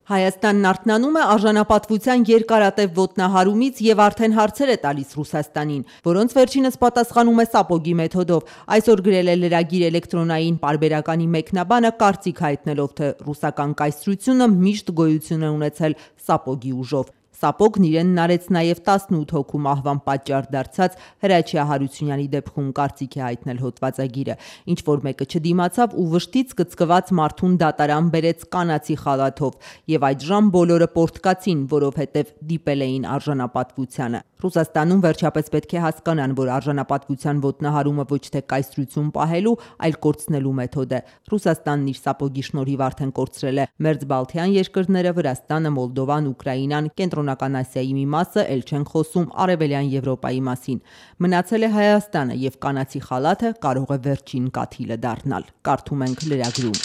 Հայաստանն արթնանում է արժանապատվության երկարատև ոտնահարումից և արդեն հարցեր է տալիս Ռուսաստանին, որոնց վերջինս պատասխանում է սապոգի մեթոդով։ Այսօր գրել է լրագիր էլեկտրոնային պարբերականի մեկնաբանը, կարծիք հայտնելով, թե ռուսական կայսրությունը միշտ գոյություն է ունեցել սապոգի ուժով։ Սապոգն իրենն արեց նաև 18 հոգու մահվան պատճառ դարձած Հրաչյա Հարությունյանի դեպքում կարծիք է հայտնել հոդվածագիրը։ Ինչ-որ մեկը չդիմացավ ու վշտից կծկված մարդուն դատարան բերեց կանացի խալաթով, և այդժամ բոլորը պոռթկացին, որովհետև դիպել էին արժանապատվությանը։ Ռուսաստանում վերջապես պետք է հասկանան, որ արժանապատվության ոտնահարումը ոչ թե կայսրություն պահելու, այլ կորցնելու մեթոդ է։ Ռուսաստանն իր սապոգի շնորհիվ արդեն կորցրել է մերձբալթյան երկրները, Վրաստանը, Մոլդովան, Ուկրաինան, Կենտրոնական Ասիայի մի մասը, էլ չեն խոսում Արևելյան Եվրոպայի մասին։ Մնացել է Հայաստանը, և կանացի խալաթը կարող է վերջին կաթիլը դառնալ։ Կարդում ենք լրագրում։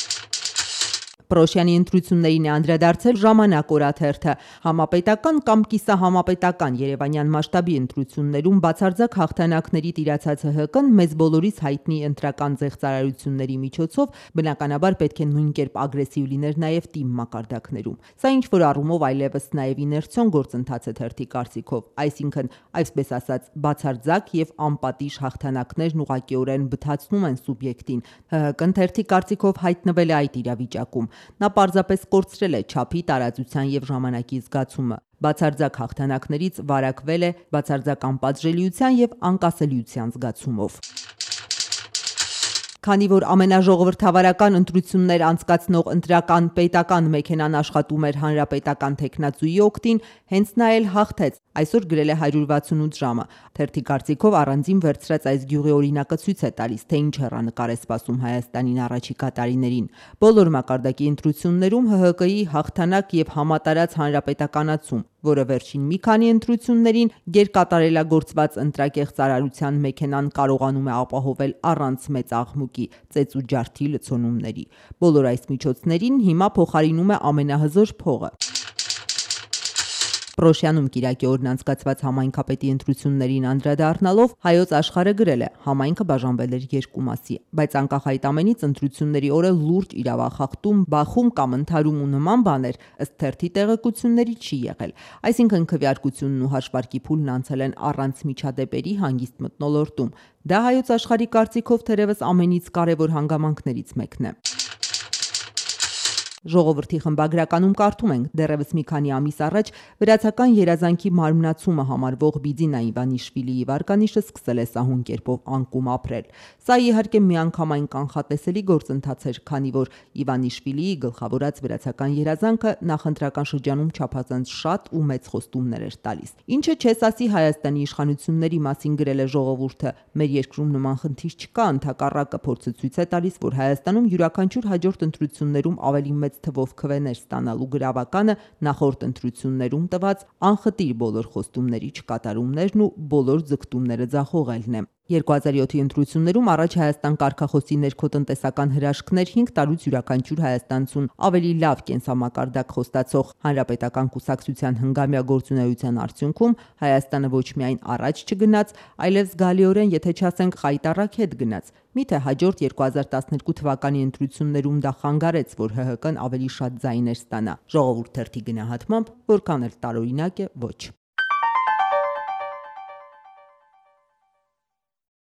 Պռոշյանի ընտրություններին է անդրադարձել «Ժամանակ» օրաթերթը։ Համապետական կամ կիսահամապետական երևանյան մասշտաբի ընտրություններում բացարձակ հաղթանակների տիրացած ՀՀԿ-ն մեզ բոլորիս հայտնի ընտրական զեղծարարությունների միջոցով բնականաբար պետք է նույն կերպ ագրեսիվ լիներ նաև թիմ մակարդակներում։ Սա ինչ-որ առումով այլևս նաև իներցիոն գործընթաց է թերթի կարծիքով, այսինքն, այսպես ասած, բացարձակ և անպատիժ հաղթանակներն ուղղակիորեն բթացնում են սուբյեկտին։ ՀՀԿ-ն թերթի կարծիքով հայտնվել է այդ իրավիճակում։ Նա պարզապես կորցրել է չափի, տարածության և ժամանակի զգացումը։ Բացարձակ հաղթանակներից վարակվել է բացարձակ անպատժելիության և անկասելիության զգացումով։ Քանի որ ամենաժողովրդավարական ընտրություններ անցկացնող ընտրական պետական մեքենան աշխատում էր հանրապետական թեկնածուի օգտին, հենց նա էլ հաղթեց, այսօր գրել է 168 ժամը։ Թերթի կարծիքով առանձին վերցրած այս գյուղի օրինակը ցույց է տալիս, թե ինչ հեռանկար է սպասում Հայաստանին առաջիկա տարիներին։ Բոլոր մակարդակի ընտրություններում ՀՀԿ-ի հաղթանակ և համատարած հանրապետականացում, որը վերջին մի քանի ընտրություններին գերկատարելագործված ընտրակեղծարարության մեքենան կարողանում է ապահովել առանց մեծ աղմուկի, ծեծ ու ջարդի լցոնումների։ Բոլոր այս միջոցներին հիմա փոխարինում է ամենահզոր փողը։ Պռոշյանում կիրակի օրն անցկացված համայնքապետի ընտրություններին անդրադառնալով Հայոց Աշխարհը գրել է. համայնքը բաժանվել էր երկու մասի, բայց անկախ այդ ամենից ընտրությունների օրը լուրջ իրավախախտում, բախում կամ ընդհարում ու նման բաներ ըստ թերթի տեղեկությունների չի եղել։ Այսինքն քվեարկությունն ու հաշվարկի փուլն անցել են առանց միջադեպերի հանգիստ մթնոլորտում։ Դա Հայոց Աշխարհի կարծիքով թերևս ամենից կարևոր հանգամանքներից մեկն է։ Ժողովրդի խմբագրականում կարդում ենք. դեռևս մի քանի ամիս առաջ վրացական երազանքի մարմնացումը համարվող Բիձինա Իվանիշվիլիի վարկանիշը սկսել է սահուն կերպով անկում ապրել։ Սա իհարկե միանգամայն կանխատեսելի գործընթաց էր, քանի որ Իվանիշվիլիի գլխավորած վրացական երազանքը նախընտրական շրջանում չափազանց շատ ու մեծ խոստումներ էր տալիս։ Ինչը չես ասի Հայաստանի իշխանությունների մասին գրել է Ժողովուրդը, մեր երկրում նման խնդիր չկա, ընդհակառակը փորձը ցույց է տալիս, որ Հայաստանում յուրաքանչյուր հաջորդ ընտրություններում ավելի մեծ թվով քվեներ ստանալու գրավականը նախորդ ընտրություններում տված անխտիր բոլոր խոստումների չկատարումներն ու բոլոր ձգտումները ձախողելն է։ 2007-ի ընտրություններում առաջ Հայաստան կարգախոսի ներքոտնտեսական հրաշքներ 5 տարուց յուրաքանչյուր հայաստանցուն ավելի լավ կենսամակարդակ խոստացող Հանրապետական կուսակցության հնգամյա գործունեության արդյունքում Հայաստանը ոչ միայն առաջ չգնաց, այլև զգալիորեն, եթե չասենք խայտառակ հետ գնաց։ Միթե հաջորդ 2012 թվականի ընտրություններում դա խանգարեց, որ ՀՀԿ-ն ավելի շատ ձայներ ստանա։ Ժողովուրդ թերթի գնահատմամբ, որքան էլ տարօրինակ է, ոչ։